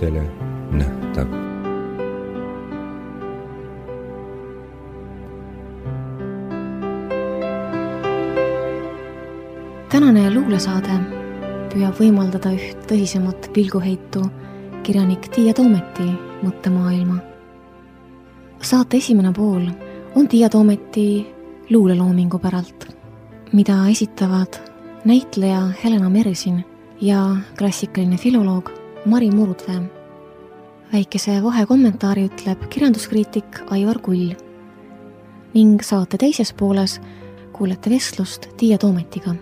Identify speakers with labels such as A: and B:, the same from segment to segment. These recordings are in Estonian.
A: kõikidele nähtav.
B: Tänane luulesaade püüab võimaldada üht tõsisemat pilguheitu kirjanik Tiia Toometi mõttemaailma. Saate esimene pool on Tiia Toometi luuleloomingu päralt, mida esitavad näitleja Helena Mersin ja klassikaline filoloog Mari Murudvee. Väikese vahekommentaari ütleb kirjanduskriitik Aivar Kull ning saate teises pooles kuulete vestlust Tiia Toometiga.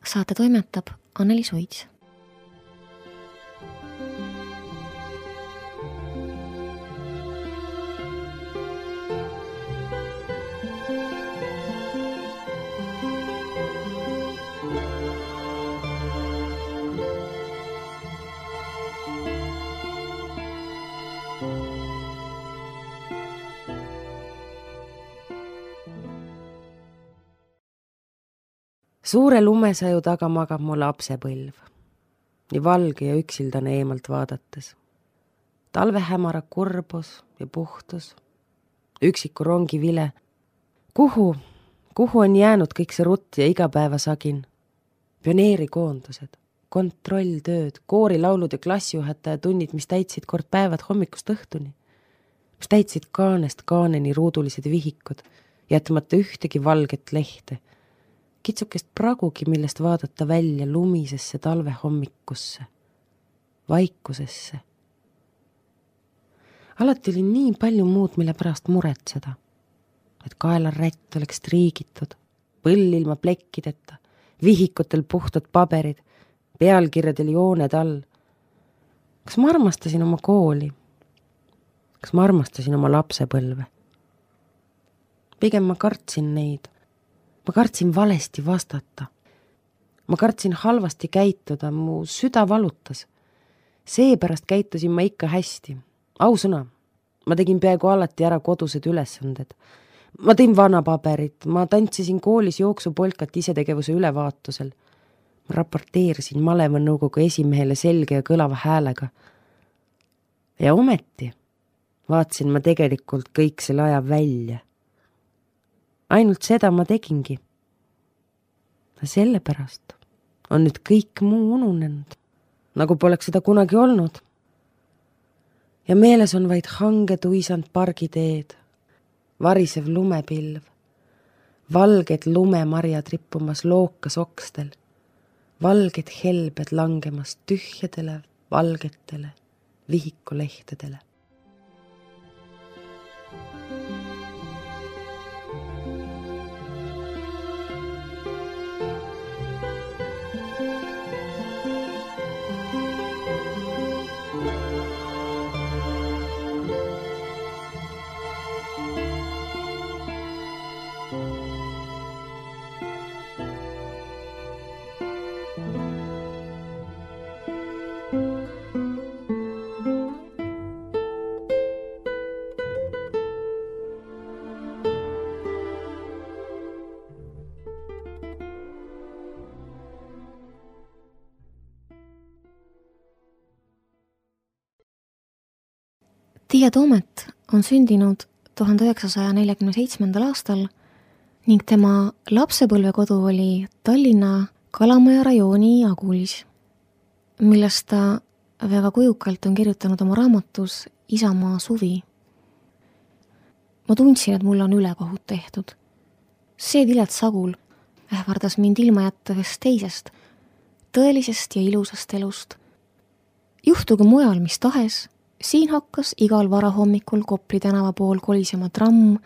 B: Saate toimetab Anneli Suits.
C: Suure lumesaju taga magab mu lapsepõlv, nii valge ja üksildane eemalt vaadates. Talve hämara kurbus ja puhtus, üksiku rongi vile. Kuhu on jäänud kõik see rutt ja igapäevasagin? Pioneerikoondused, kontrolltööd, koorilaulud ja klassijuhataja tunnid, mis täitsid kord päevad hommikust õhtuni, mis täitsid kaanest kaaneni ruudulised vihikud, jätmata ühtegi valget lehte, kitsukest pragugi, millest vaadata välja lumisesse talve hommikusse, vaikusesse. Alati oli nii palju muud, mille pärast muretseda, et kaelarätt oleks triigitud, põll ilma plekkideta, vihikutel puhtad paberid, pealkirjadel jooned all. Kas ma armastasin oma kooli? Kas ma armastasin oma lapsepõlve? Pigem ma kartsin neid. Ma kartsin valesti vastata. Ma kartsin halvasti käituda, mu süda valutas. Seepärast käitusin ma ikka hästi. Ausõna, ma tegin peaaegu alati ära kodused ülesanded. Ma tõin vanapaberit, ma tantsisin koolis jooksupolkat isetegevuse ülevaatusel. Ma raporteerisin malevanõukogu esimehele selge ja kõlava häälega. Ja ometi vaatsin ma tegelikult kõik selle aja välja. Ainult seda ma tegingi. Sellepärast on nüüd kõik muu ununenud, nagu poleks seda kunagi olnud. Ja meeles on vaid hange tuisand pargiteed, varisev lumepilv, valged lumemarjad rippumas lookas okstel, valged helbed langemas tühjadele, valgetele vihikulehtedele.
B: Tiia Toomet on sündinud 1947. aastal ning tema lapsepõlvekodu oli Tallinna Kalamaja rajooni Agulis, millest ta väga kujukalt on kirjutanud oma raamatus Isamaa suvi. Ma tundsin, et mul on ülekohut tehtud. See vilets Agul ähvardas mind ilma jätta ühest teisest, tõelisest ja ilusast elust. Juhtugu mujal mis tahes, siin hakkas igal varahommikul Kopli tänava pool kolisema tramm,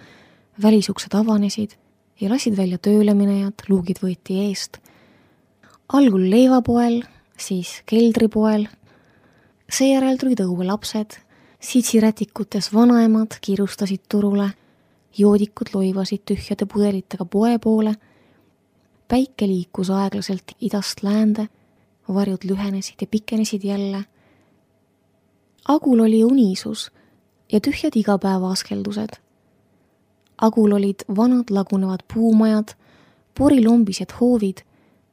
B: välisuksed avanesid ja lasid välja tööle minejad, luugid võeti eest. Algul leivapoel, siis keldripoel, seejärel tulid õue lapsed, sitsirätikutes vanaemad kiirustasid turule, joodikud loivasid tühjade pudelitega poe poole, päike liikus aeglaselt idast läände, varjud lühenesid ja pikenesid jälle. Agul oli unisus ja tühjad igapäeva askeldused. Agul olid vanad lagunevad puumajad, porilombised hoovid,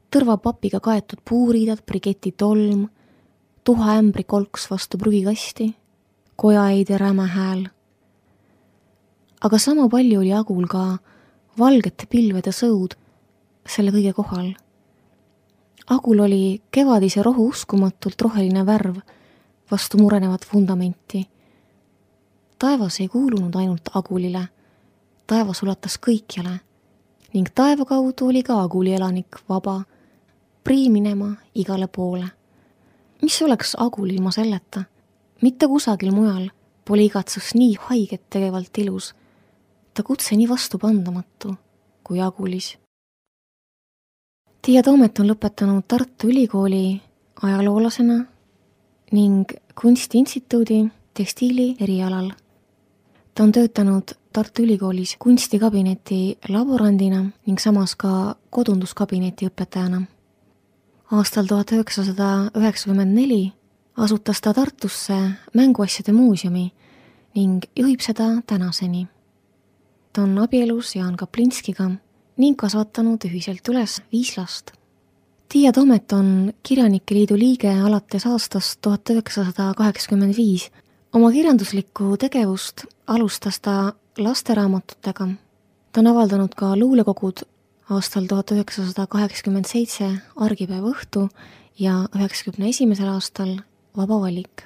B: tõrvapapiga kaetud puuriidad, briketi tolm, tuhaämbri kolks vastu prügikasti, kojaeide räme hääl. Aga sama palju oli Agul ka valgete pilvede sõud selle kõige kohal. Agul oli kevadise rohu uskumatult roheline värv vastu murenevat vundamenti. Taevas ei kuulunud ainult Agulile, taevas ulatas kõikjale ning taeva kaudu oli ka Aguli elanik vaba, prii minema igale poole. Mis oleks Agul ilma selleta? Mitte kusagil mujal pole igatsus nii haiget tegevalt ilus, ta kutse nii vastupandamatu kui Agulis. Tiia Toomet on lõpetanud Tartu Ülikooli ajaloolasena ning Kunstiinstituudi tekstiili erialal. Ta on töötanud Tartu Ülikoolis kunstikabineti laborandina ning samas ka kodunduskabineti õpetajana. Aastal 1994 asutas ta Tartusse mänguasjade muuseumi ning juhib seda tänaseni. Ta on abielus Jaan Kaplinskiga ning kasvatanud ühiselt üles 5 last. Tiia Toomet on Kirjanike Liidu liige alates aastast 1985. Oma kirjanduslikku tegevust alustas ta lasteraamatutega. Ta on avaldanud ka luulekogud aastal 1987 Argipäeva õhtu ja 1991. aastal Vaba valik.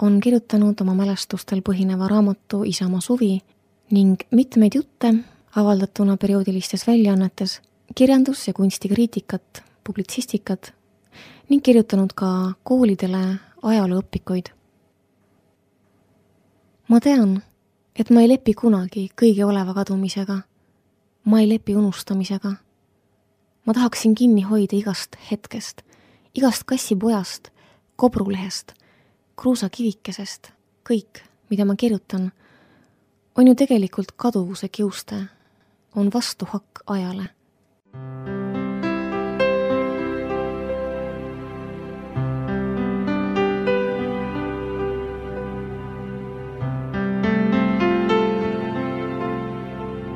B: On kirjutanud oma mälestustel põhineva raamatu Isamaa suvi ning mitmeid jutte avaldatuna perioodilistes väljaannetes, kirjandus- ja kunstikriitikat, publitsistikat ning kirjutanud ka koolidele ajalooõpikuid. Ma tean, et ma ei lepi kunagi kõige oleva kadumisega. Ma ei lepi unustamisega. Ma tahaksin kinni hoida igast hetkest, igast kassipojast, kobrulehest, kruusakivikesest. Kõik, mida ma kirjutan, on ju tegelikult kaduvuse kiuste, on vastuhakk ajale.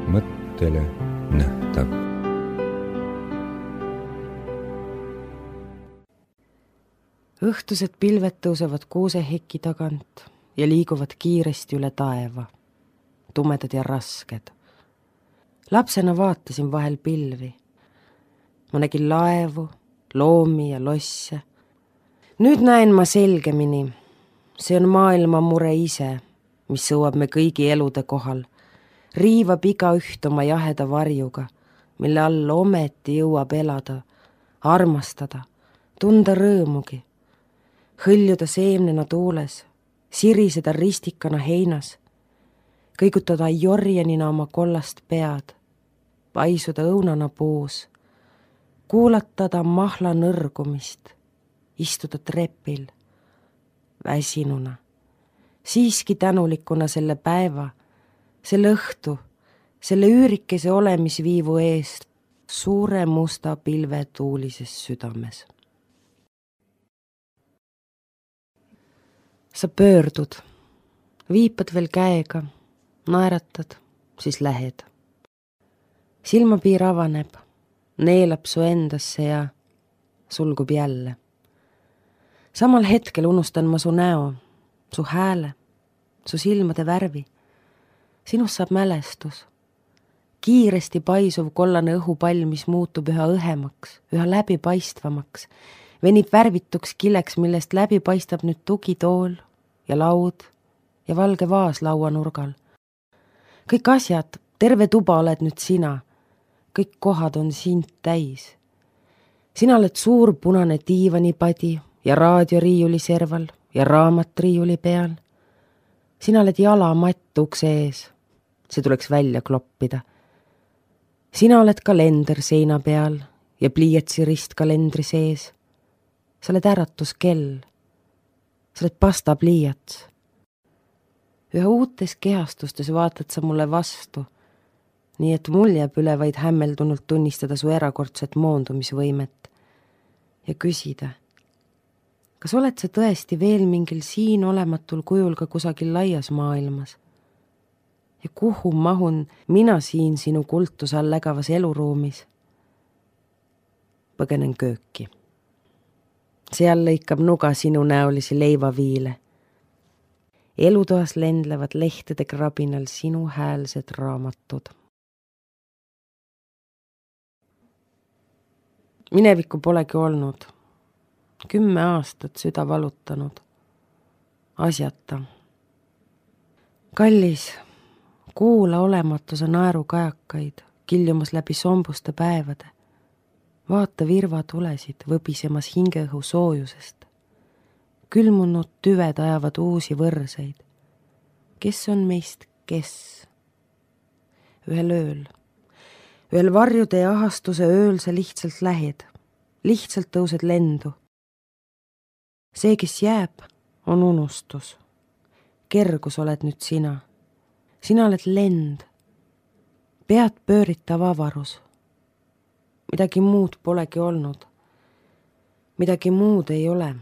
A: Mõttele nähtav.
C: Õhtused pilved tõusevad kuuseheki tagant ja liiguvad kiiresti üle taeva, tumedad ja rasked. Lapsena vaatasin vahel pilvi. Ma nägin laevu, loomi ja losse. Nüüd näen ma selgemini. See on maailma mure ise, mis sõuab me kõigi elude kohal. Riivab iga üht oma jaheda varjuga, mille all ometi jõuab elada, armastada, tunda rõõmugi, hõljuda seemnena tuules, siriseda ristikana heinas, kõigutada jorjenina oma kollast pead, paisuda õunana puus, kuulatada mahla nõrgumist, istuda trepil, väsinuna, siiski tänulikuna selle päeva, selle õhtu, selle üürikese olemisviivu eest suure musta pilve tuulises südames. Sa pöördud, viipad veel käega, naeratad, siis lähed. Silmapiir avaneb, neelab su endasse ja sulgub jälle. Samal hetkel unustan ma su näo, su hääle, su silmade värvi. Sinust saab mälestus. Kiiresti paisuv kollane õhupall, mis muutub üha õhemaks, üha läbipaistvamaks, venib värvituks kileks, millest läbi paistab nüüd tugitool ja laud ja valge vaas lauanurgal. Kõik asjad, terve tuba oled nüüd sina. Kõik kohad on sind täis. Sina oled suur punane diivanipadi ja raadioriiuli serval ja raamat riiuli peal. Sina oled jalamatt ukse ees. See tuleks välja kloppida. Sina oled kalender seina peal ja pliiatsi ristkalendri sees. Sa oled äratuskell. Sa oled pastapliiats. Üha uutes kehastustes vaatad sa mulle vastu, nii et mul jääb üle vaid hämmeldunult tunnistada su erakordset moondumisvõimet ja küsida, kas oled sa tõesti veel mingil siin olematul kujul ka kusagil laias maailmas? Ja kuhu mahun mina siin sinu kultuse all lägavas eluruumis? Põgenen kööki. Seal lõikab nuga sinu näolisi leivaviile. Elutoas lendlevad lehtede krabinal sinu häälsed raamatud. Minevikku polegi olnud. 10 aastat süda valutanud. Asjata. Kallis, kuula olematuse naerukajakaid, kiljumas läbi sombuste päevade. Vaata virvatulesid võbisemas hingeõhu soojusest. Külmunud tüved ajavad uusi võrseid. Kes on meist kes? Ühel varjude ja ahastuse ööl sa lihtsalt lähed. Lihtsalt tõused lendu. See, kes jääb, on unustus. Kergus oled nüüd sina. Sina oled lend. Pead pööritav avarus. Midagi muud polegi olnud. Midagi muud ei ole.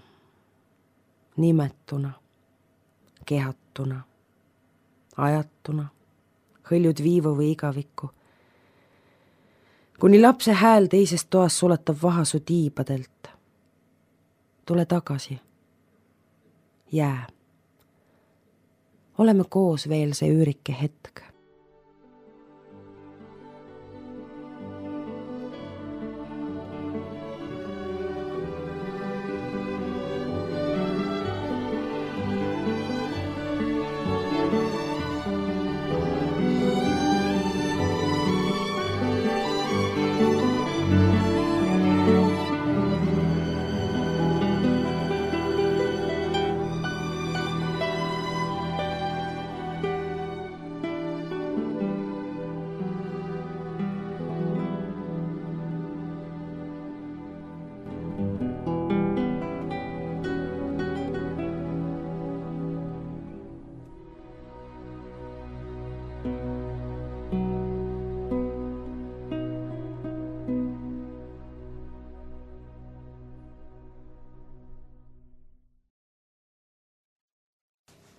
C: Nimetuna, kehatuna, ajatuna, hõljud viivu või igavikku. Kuni lapse hääl teises toas sulatab vahasu tiibadelt. Tule tagasi. Jää. Oleme koos veel see üürike hetk.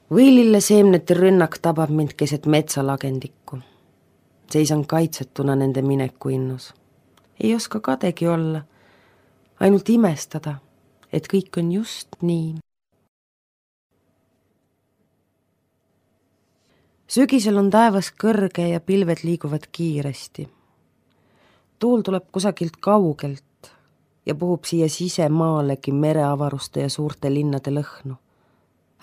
C: Võilille seemnete rünnak tabab mind keset metsalagendikku. Seisan kaitsetuna nende mineku innus. Ei oska kadegi olla, ainult imestada, et kõik on just nii. Sügisel on taevas kõrge ja pilved liiguvad kiiresti. Tuul tuleb kusagilt kaugelt ja puhub siia sisemaalegi mereavaruste ja suurte linnade lõhnu.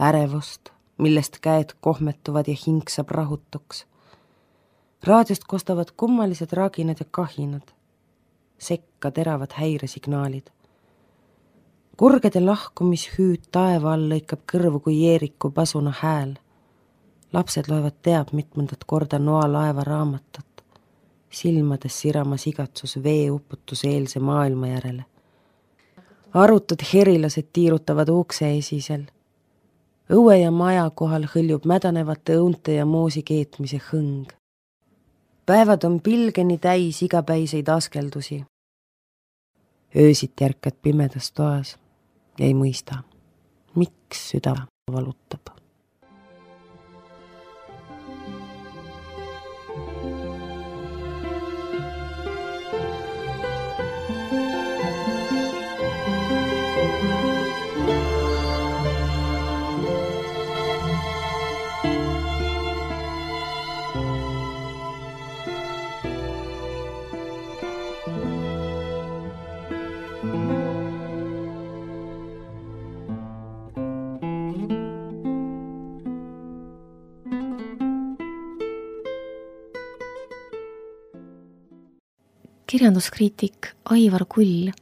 C: Ärevust, millest käed kohmetuvad ja hing saab rahutuks. Raadiost kostavad kummalised raginad ja kahinad. Sekka teravad häiresignaalid. Kurgede lahkumishüüd taeva all lõikab kõrvu kui Jeeriku pasuna hääl. Lapsed loevad teab mitmendat korda Noa laeva raamatut, silmades siramas igatsus veeuputuse eelse maailma järele. Arutud herilased tiirutavad ukse esisel. Õue ja maja kohal hõljub mädanevate õunte ja moosi keetmise hõng. Päevad on pilgeni täis igapäiseid askeldusi. Öösit järkad pimedas toas ja ei mõista, miks süda valutab.
B: Kirjanduskriitik Aivar Kull,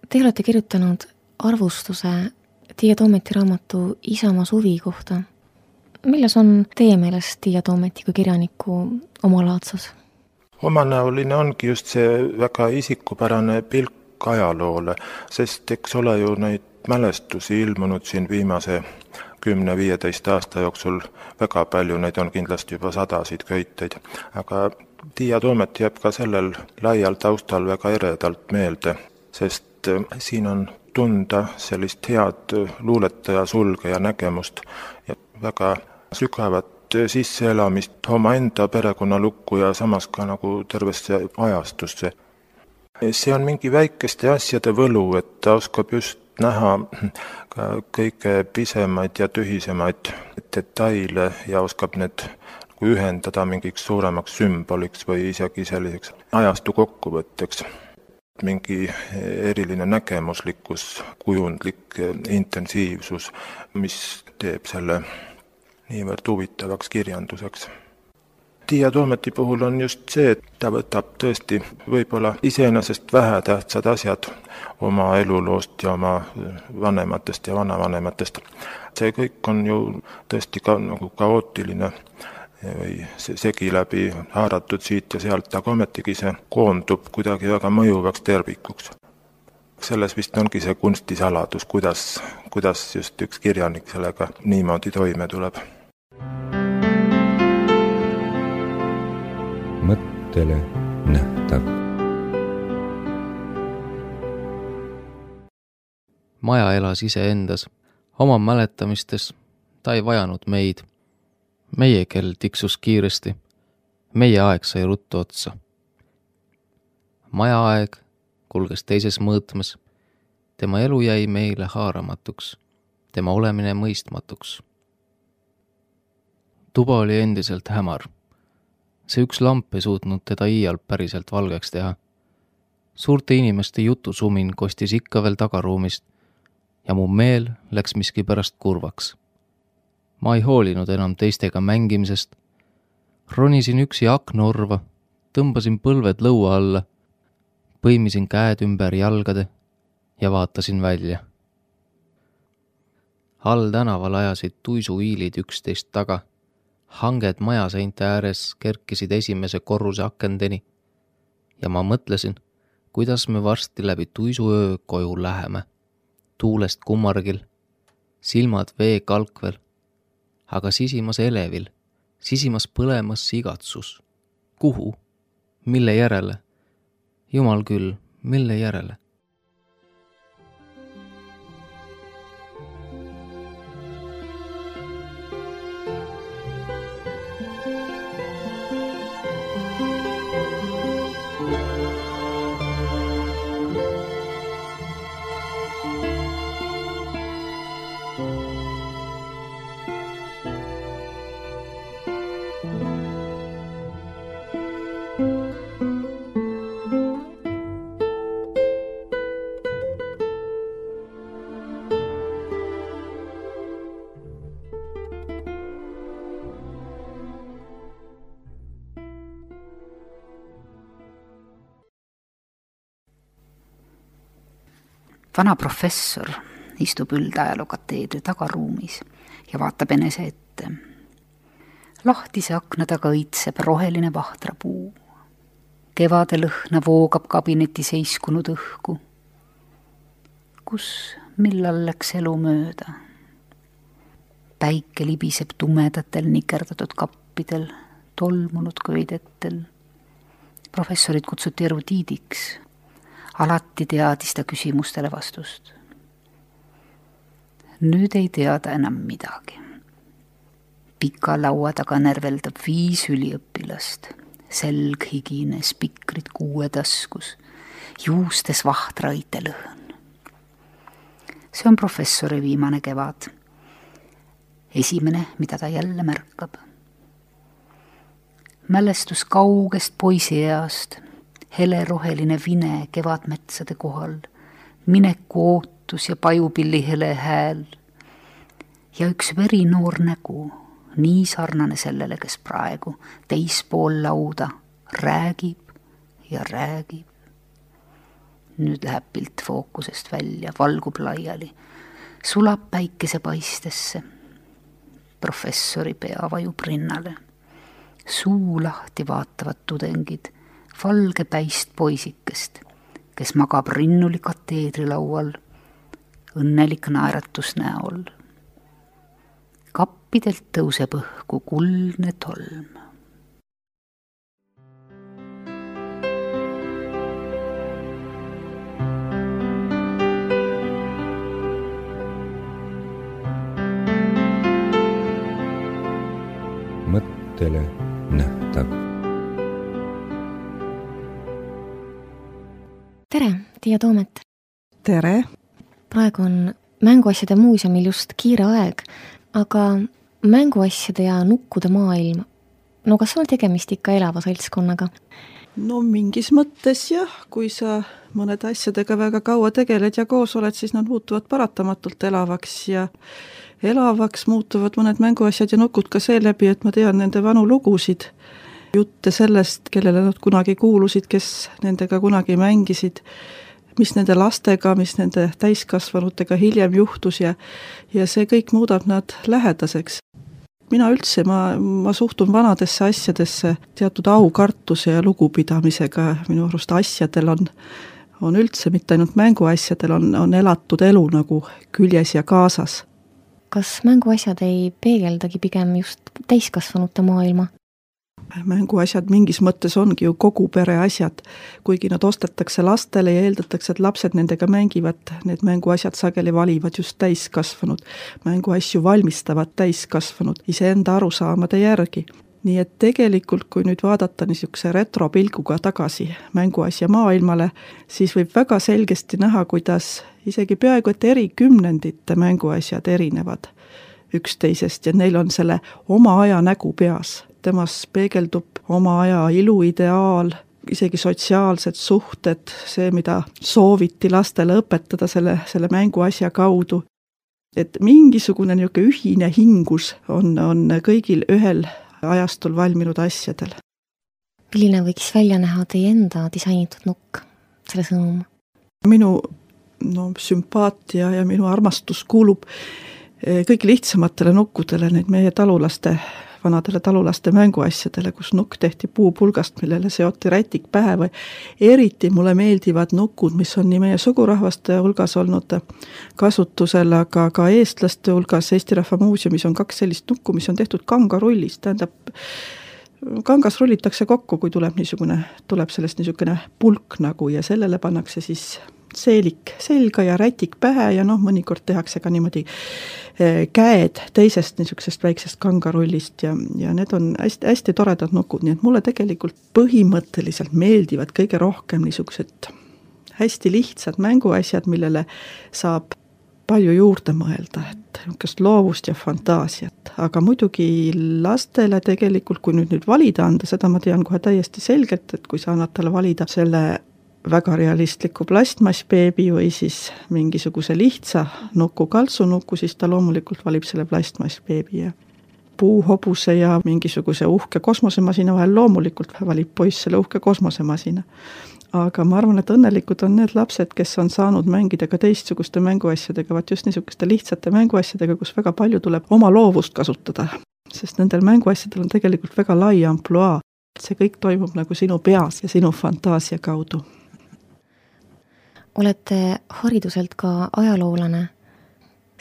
B: te olete kirjutanud arvustuse Tiia Toometi raamatu Isamaa suvi kohta. Milles on teie meelest Tiia Toometi kui kirjaniku omalaadsus?
D: Omanäoline ongi just see väga isikupärane pilk ajaloole, sest eks ole ju neid mälestusi ilmunud siin viimase 10-15 aasta jooksul väga palju, neid on kindlasti juba 100 köiteid, aga Tiia Toomet jääb ka sellel laial taustal väga eredalt meelde, sest siin on tunda sellist head luuletaja sulgeja nägemust ja väga sügavat sisseelamist omaenda perekonnalukku ja samas ka nagu tervesse ajastusse. See on mingi väikeste asjade võlu, et ta oskab just näha ka kõige pisemaid ja tühisemaid detaile ja oskab need ühendada mingiks suuremaks sümboliks või isegi selliseks ajastu kokkuvõtteks. Mingi eriline nägemuslikkus, kujundlik intensiivsus, mis teeb selle niivõrd huvitavaks kirjanduseks. Tiia Toometi puhul on just see, et ta võtab tõesti võib-olla iseenesest vähetähtsad asjad oma eluloost ja oma vanematest ja vanavanematest. See kõik on ju tõesti ka nagu kaootiline või segi läbi haaratud siit ja sealt, aga ometigi see koondub kuidagi väga mõjuvaks tervikuks. Selles vist ongi see kunstisaladus, kuidas just üks kirjanik sellega niimoodi toime tuleb.
A: Mõttele nähtav.
E: Maja elas iseendas, oma mäletamistes, ta ei vajanud meid. Meie kell tiksus kiiresti, meie aeg sai ruttu otsa. Maja aeg kulges teises mõõtmes, tema elu jäi meile haaramatuks, tema olemine mõistmatuks. Tuba oli endiselt hämar. See üks lamp ei suutnud teda iial päriselt valgeks teha. Suurte inimeste jutusumin kostis ikka veel tagaruumist ja mu meel läks miski pärast kurvaks. Ma ei hoolinud enam teistega mängimisest. Ronisin üksi aknaorva, tõmbasin põlved lõua alla, põimisin käed ümber jalgade ja vaatasin välja. All tänaval ajasid tuisuiilid üksteist taga. Hanged majaseinte ääres kerkisid esimese korruse akendeni ja ma mõtlesin, kuidas me varsti läbi tuisuöö koju läheme. Tuulest kummargil, silmad vee kalkvel, aga sisimas elevil, sisimas põlemas igatsus. Kuhu? Mille järele? Jumal küll, mille järele?
F: Vana professor istub üldajalookateedri tagaruumis ja vaatab enese ette. Lahtise akna taga õitseb roheline vahtrapuu. Kevade lõhna voogab kabineti seiskunud õhku. Kus, millal läks elu mööda? Päike libiseb tumedatel nikerdatud kappidel, tolmunud köidettel. Professorit kutsuti erudiidiks. Alati teadis ta küsimustele vastust. Nüüd ei teada enam midagi. Pika laua taga närveldab 5 üliõpilast, selg higine, spikrid 6 taskus, juustes vahtra õitelõhn. See on professori viimane kevad. Esimene, mida ta jälle märkab. Mälestus kaugest poisieast, heleroheline vine kevadmetsade kohal, mineku ootus ja pajupilli hele hääl ja üks verinoor nägu, nii sarnane sellele, kes praegu teispool lauda räägib ja räägib. Nüüd läheb pilt fookusest välja, valgub laiali, sulab päikesepaistesse. Professori pea vajub rinnale. Suu lahti vaatavad tudengid, valge päist poisikest, kes magab rinnuli kateedrilaual, õnnelik naeratus näol. Kappidelt tõuseb õhku kuldne tolm.
A: Mõttele nähtav.
B: Tere, Tiia Toomet!
G: Tere!
B: praegu on mänguasjade muuseumil just kiire aeg, aga mänguasjade ja nukkude maailm, no kas on tegemist ikka elava seltskonnaga?
G: No mingis mõttes jah, kui sa mõnede asjadega väga kaua tegeled ja koos oled, siis nad muutuvad paratamatult elavaks ja elavaks muutuvad mõned mänguasjad ja nukud ka seeläbi, et ma tean nende vanu lugusid, jutte sellest, kellele nad kunagi kuulusid, kes nendega kunagi mängisid, mis nende lastega, mis nende täiskasvanutega hiljem juhtus ja see kõik muudab nad lähedaseks. Mina üldse, ma suhtun vanadesse asjadesse teatud aukartuse ja lugupidamisega, minu arust asjadel on üldse, mitte ainult mänguasjadel, on elatud elu nagu küljes ja kaasas.
B: Kas mänguasjad ei peegeldagi pigem just täiskasvanute maailma?
G: Mänguasjad mingis mõttes ongi ju kogu pere asjad, kuigi nad ostetakse lastele ja eeldatakse, et lapsed nendega mängivad, need mänguasjad sageli valivad just täiskasvanud. Mänguasju valmistavad täiskasvanud iseenda arusaamade järgi. Nii et tegelikult, kui nüüd vaadata niisuguse retropilguga tagasi mänguasja maailmale, siis võib väga selgesti näha, kuidas isegi peaaegu et eri kümnendite mänguasjad erinevad üksteisest ja neil on selle oma aja nägu peas. Temas peegeldub oma aja iluideaal, isegi sotsiaalsed suhted, see, mida sooviti lastele õpetada selle mänguasja kaudu. Et mingisugune niisugune ühine hingus on kõigil ühel ajastul valminud asjadel.
B: Milline võiks välja näha teie enda disainitud nukk, selle sõnum?
G: Minu sümpaatia ja minu armastus kuulub kõige lihtsamatele nukkudele, neid meie vanadele talulaste mänguasjadele, kus nukk tehti puupulgast, millele seoti rätik pähe või eriti mulle meeldivad nukud, mis on nii meie sugurahvaste hulgas olnud kasutusel, aga ka eestlaste hulgas. Eesti Rahva Muuseumis on 2 sellist nukku, mis on tehtud kangarullist, tähendab, kangas rullitakse kokku, kui tuleb sellest niisugune pulk nagu ja sellele pannakse siis seelik selga ja rätik pähe ja mõnikord tehakse ka niimoodi käed teisest niisugusest väiksest kangarullist ja need on hästi toredad nukud, nii et mulle tegelikult põhimõtteliselt meeldivad kõige rohkem niisugused hästi lihtsad mänguasjad, millele saab palju juurde mõelda, et niisugust loovust ja fantaasiat, aga muidugi lastele tegelikult, kui nüüd valida anda, seda ma tean kohe täiesti selgelt, et kui sa annad talle valida selle väga realistliku plastmassbeebi või siis mingisuguse lihtsa nuku, kaltsunuku, siis ta loomulikult valib selle plastmassbeebi ja puuhobuse ja mingisuguse uhke kosmosemasina vahel loomulikult valib poiss selle uhke kosmosemasina. Aga ma arvan, et õnnelikud on need lapsed, kes on saanud mängida ka teistsuguste mänguasjadega, vaat just niisuguste lihtsate mänguasjadega, kus väga palju tuleb oma loovust kasutada, sest nendel mänguasjadel on tegelikult väga lai ampluaa. See kõik toimub nagu sinu peas ja sinu fantaasia kaudu.
B: Olete hariduselt ka ajaloolane.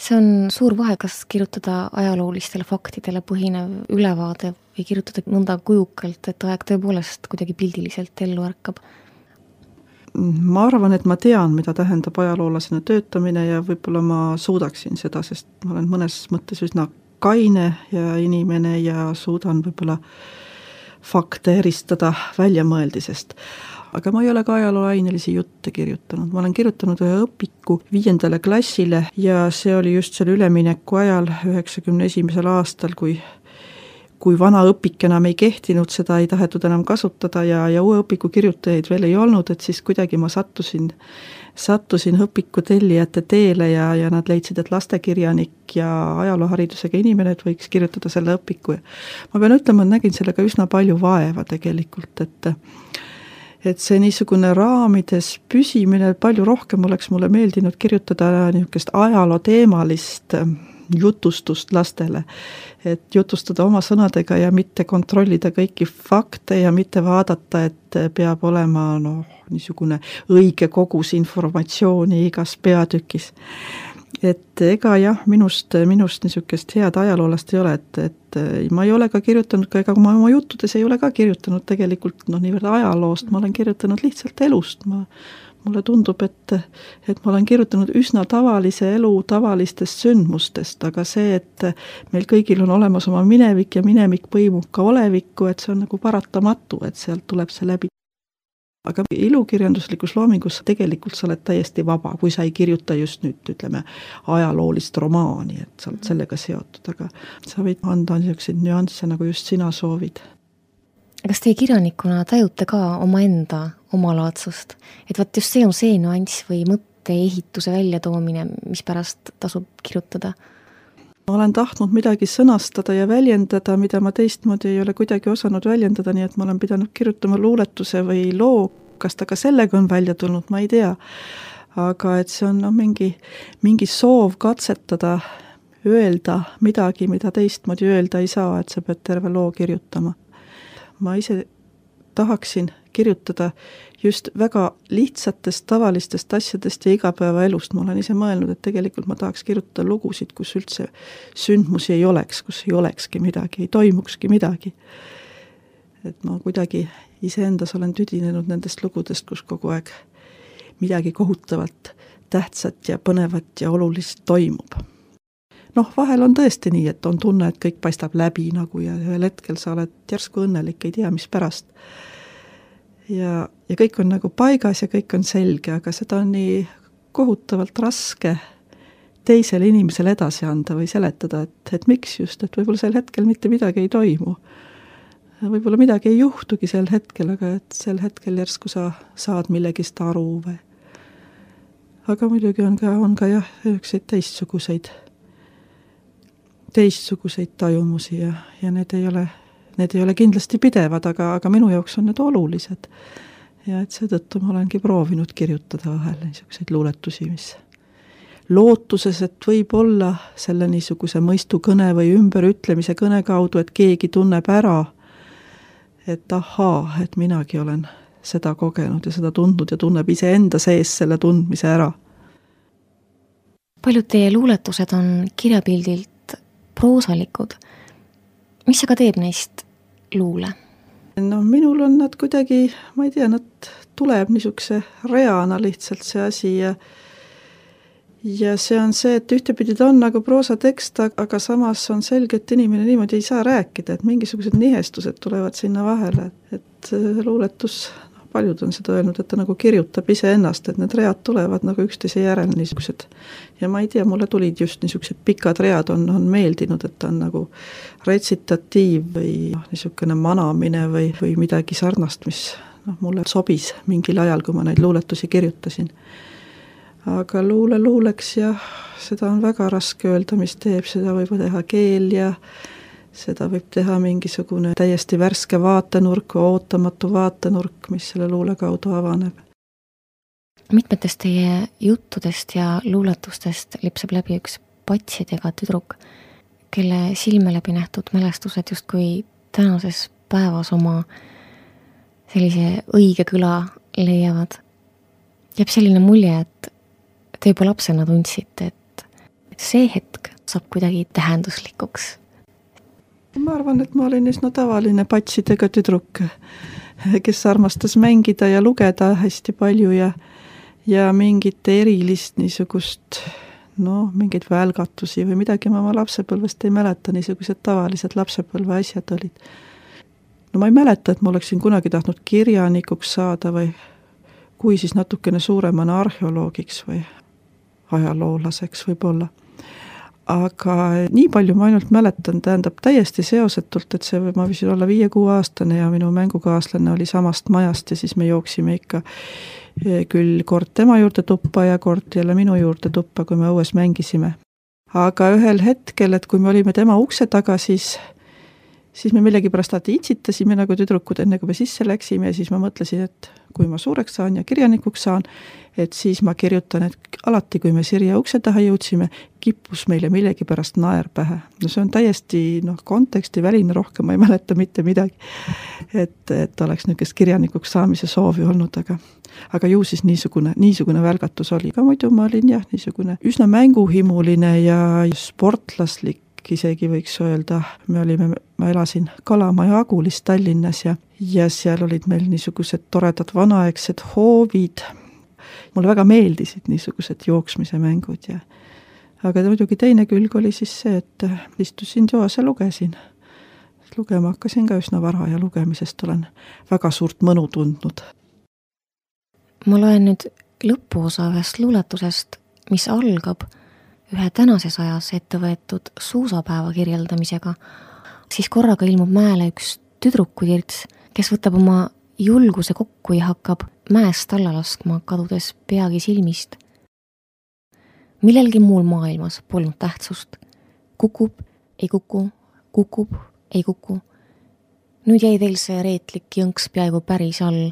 B: See on suur vahe, kas kirjutada ajaloolistele faktidele põhinev ülevaade või kirjutada nõnda kujukalt, et aeg tõepoolest kuidagi pildiliselt ellu ärkab.
G: Ma arvan, et ma tean, mida tähendab ajaloolasena töötamine ja võib-olla ma suudaksin seda, sest ma olen mõnes mõttes üsna kaine ja inimene ja suudan võib-olla fakte eristada väljamõeldisest. Aga ma ei ole ka ajalooainelisi jutte kirjutanud. Ma olen kirjutanud ühe õpiku 5. klassile ja see oli just selle ülemineku ajal 91. aastal, kui vana õpik enam ei kehtinud, seda ei tahetud enam kasutada ja uue õpiku kirjutajaid veel ei olnud, et siis kuidagi ma sattusin õpiku tellijate teele ja nad leidsid, et lastekirjanik ja ajalooharidusega inimene, et võiks kirjutada selle õpiku. Ma pean ütlema, et nägin sellega üsna palju vaeva tegelikult, et see niisugune raamides püsimine, palju rohkem oleks mulle meeldinud kirjutada niisugust ajalooteemalist jutustust lastele, et jutustada oma sõnadega ja mitte kontrollida kõiki fakte ja mitte vaadata, et peab olema niisugune õige kogus informatsiooni igas peatükis. Et ega jah, minust niisugust head ajaloolast ei ole, et ma ei ole ka kirjutanud, ega ma oma juttudes ei ole ka kirjutanud tegelikult niivõrd ajaloost, ma olen kirjutanud lihtsalt elust. Mulle tundub, et ma olen kirjutanud üsna tavalise elu tavalistest sündmustest, aga see, et meil kõigil on olemas oma minevik ja minevik põimub ka olevikku, et see on nagu paratamatu, et sealt tuleb see läbi. aga ilukirjanduslikus loomingus tegelikult sa oled täiesti vaba, kui sa ei kirjuta just nüüd, ütleme, ajaloolist romaani, et sa oled sellega seotud, aga sa võid anda niisuguseid nüansse, nagu just sina soovid.
B: Kas teie kirjanikuna tajute ka omaenda omalaadsust? Et võt just see on see nüanss või mõtteehituse väljatoomine, mis pärast tasub kirjutada?
G: Ma olen tahtnud midagi sõnastada ja väljendada, mida ma teistmoodi ei ole kuidagi osanud väljendada, nii et ma olen pidanud kirjutama luuletuse või loo, kas ta ka sellega on välja tulnud, ma ei tea. Aga et see on mingi soov katsetada, öelda midagi, mida teistmoodi öelda ei saa, et sa pead terve loo kirjutama. Ma ise tahaksin kirjutada just väga lihtsatest, tavalistest asjadest ja igapäevaelust. Ma olen ise mõelnud, et tegelikult ma tahaks kirjutada lugusid, kus üldse sündmusi ei oleks, kus ei olekski midagi, ei toimukski midagi. Et ma kuidagi iseendas olen tüdinenud nendest lugudest, kus kogu aeg midagi kohutavalt tähtsat ja põnevat ja olulist toimub. Vahel on tõesti nii, et on tunne, et kõik paistab läbi nagu ja ühel hetkel sa oled järsku õnnelik, ei tea, mis pärast. Ja kõik on nagu paigas ja kõik on selge, aga seda on nii kohutavalt raske teisele inimesele edasi anda või seletada, et miks just, et võib-olla sel hetkel mitte midagi ei toimu. Võib-olla midagi ei juhtugi sel hetkel, aga et sel hetkel järsku sa saad millegist aru või. Aga muidugi on ka jah, teistsuguseid tajumusi ja need ei ole kindlasti pidevad, aga minu jaoks on need olulised. Ja et seetõttu ma olengi proovinud kirjutada vahel niisuguseid luuletusi, mis lootuses, et võib olla selle niisuguse mõistukõne või ümberütlemise kõne kaudu, et keegi tunneb ära, et ahaa, et minagi olen seda kogenud ja seda tundnud ja tunneb ise enda sees selle tundmise ära.
B: Paljud teie luuletused on kirjapildilt proosalikud. Mis aga teeb neist luule?
G: Minul on nad kuidagi, ma ei tea, nad tuleb niisuguse reana lihtsalt see asi ja see on see, et ühtepidi ta on nagu proosatekst, aga samas on selge, et inimene niimoodi ei saa rääkida, et mingisugused nihestused tulevad sinna vahele, et luuletus, paljud on seda öelnud, et ta nagu kirjutab ise ennast, et need read tulevad nagu üksteise järel niisugused. Ja ma ei tea, mulle tulid just niisugused pikad read on meeldinud, et ta on nagu retsitatiiv või niisugune manamine või midagi sarnast, mis mulle sobis mingil ajal, kui ma neid luuletusi kirjutasin. Aga luuleks ja seda on väga raske öelda, mis teeb, seda võib teha keel ja seda võib teha mingisugune täiesti värske vaatenurk, ootamatu vaatenurk, mis selle luule kaudu avaneb.
B: Mitmetest teie juttudest ja luuletustest lipsab läbi üks patsidega tüdruk, kelle silme läbi nähtud mälestused justkui tänases päevas oma sellise õige kõla leiavad. Jääb selline mulje, et te juba lapsena tundsite, et see hetk saab kuidagi tähenduslikuks.
G: Ma arvan, et ma olin üsna tavaline patsidega tüdruk, kes armastas mängida ja lugeda hästi palju ja mingit erilist niisugust, mingeid välgatusi või midagi ma oma lapsepõlvest ei mäleta, niisugused tavalised lapsepõlve asjad olid. Ma ei mäleta, et ma oleksin kunagi tahtnud kirjanikuks saada või kui siis natukene suuremana arheoloogiks või ajaloolaseks võib-olla. Aga nii palju ma ainult mäletan, tähendab täiesti seosetult, et ma võisin olla 5-6 aastane ja minu mängukaaslane oli samast majast ja siis me jooksime ikka küll kord tema juurde tuppa ja kord jälle minu juurde tuppa, kui me õues mängisime. Aga ühel hetkel, et kui me olime tema ukse taga, siis me millegipärast itsitasime nagu tüdrukud enne, kui me sisse läksime ja siis ma mõtlesin, et kui ma suureks saan ja kirjanikuks saan, et siis ma kirjutan, et alati, kui me Sirje ukse taha jõudsime, kippus meile millegipärast naer pähe. See on täiesti konteksti väline, rohkem ma ei mäleta mitte midagi, et oleks niisugust kirjanikuks saamise soovi olnud, aga ju siis niisugune välgatus oli. Aga muidu ma olin niisugune üsna mänguhimuline ja sportlaslik, isegi võiks öelda, ma elasin Kalamaja Agulis Tallinnas ja seal olid meil niisugused toredad vanaaegsed hoovid. Mulle väga meeldisid niisugused jooksmise mängud aga muidugi teine külg oli siis see, et istusin toas ja lugesin. Lugema hakkasin ka üsna vara ja lugemisest olen väga suurt mõnu tundnud.
B: ma loen nüüd lõpuosa ühest luuletusest, mis algab ühe tänases ajas ette võetud suusapäeva kirjeldamisega, siis korraga ilmub mäele üks tüdrukutirts, kes võtab oma julguse kokku ja hakkab mäest alla laskma, kadudes peagi silmist. Millelgi muul maailmas polnud tähtsust. Kukub, ei kuku, kukub, ei kuku. Nüüd jäi teil see reetlik jõnks peaaegu päris all,